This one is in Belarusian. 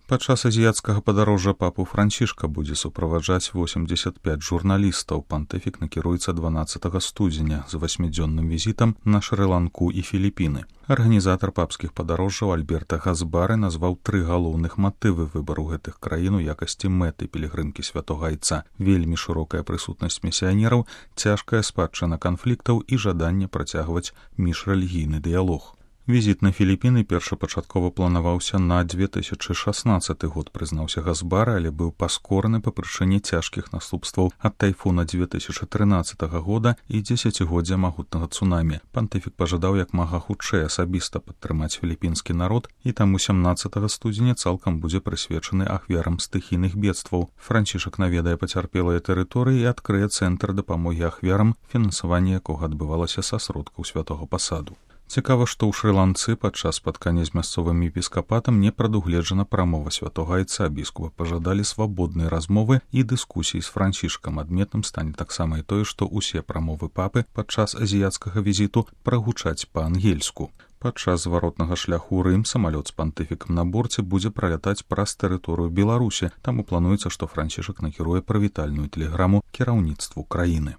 Падчас азіяцкага падарожжа папу Францішка будзе суправаджаць 85 журналістаў. Пантыфік накіруецца 12 студзеня з 8-дзённым візітам на Шры-Ланку і Філіпіны. Арганізатар папскіх падарожжаў Альберта Газбары назваў 3 галоўных матывы выбару гэтых краін у якасці мэты пілігрымкі святога айца: вельмі шырокая прысутнасць місіянераў, цяжкая спадчына канфліктаў і жаданне працягваць міжрэлігійны дыялог. Візіт на Філіпіны першапачаткова планаваўся на 2016 год, прызнаўся Газбара, але быў паскораны па прычыне цяжкіх наступстваў ад тайфуна 2013 года і дзесяцігоддзя магутнага цунамі. Пантыфік пажадаў як мага хутчэй асабіста падтрымаць філіпінскі народ, і таму 17 студзеня цалкам будзе прысвечаны ахвярам стыхійных бедстваў. Францішак наведае пацярпелыя тэрыторыі і адкрые цэнтр дапамогі ахвярам, фінансаванне якога адбывалася са сродкаў святога пасаду. Цікава, што ў Шры-Ланцы падчас спаткання з мясцовым епіскапатам не прадугледжана прамова святога айца. Біскупы пажадалі свабоднай размовы і дыскусіі з Францішкам. Адметным стане таксама і тое, што ўсе прамовы папы падчас азіяцкага візіту прагучаць па-ангельску. Падчас зваротнага шляху ў Рым самалёт з пантыфікам на борце будзе пралятаць праз тэрыторыю Беларусі. Таму плануецца, што Францішак накіруе прывітальную тэлеграму кіраўніцтву краіны.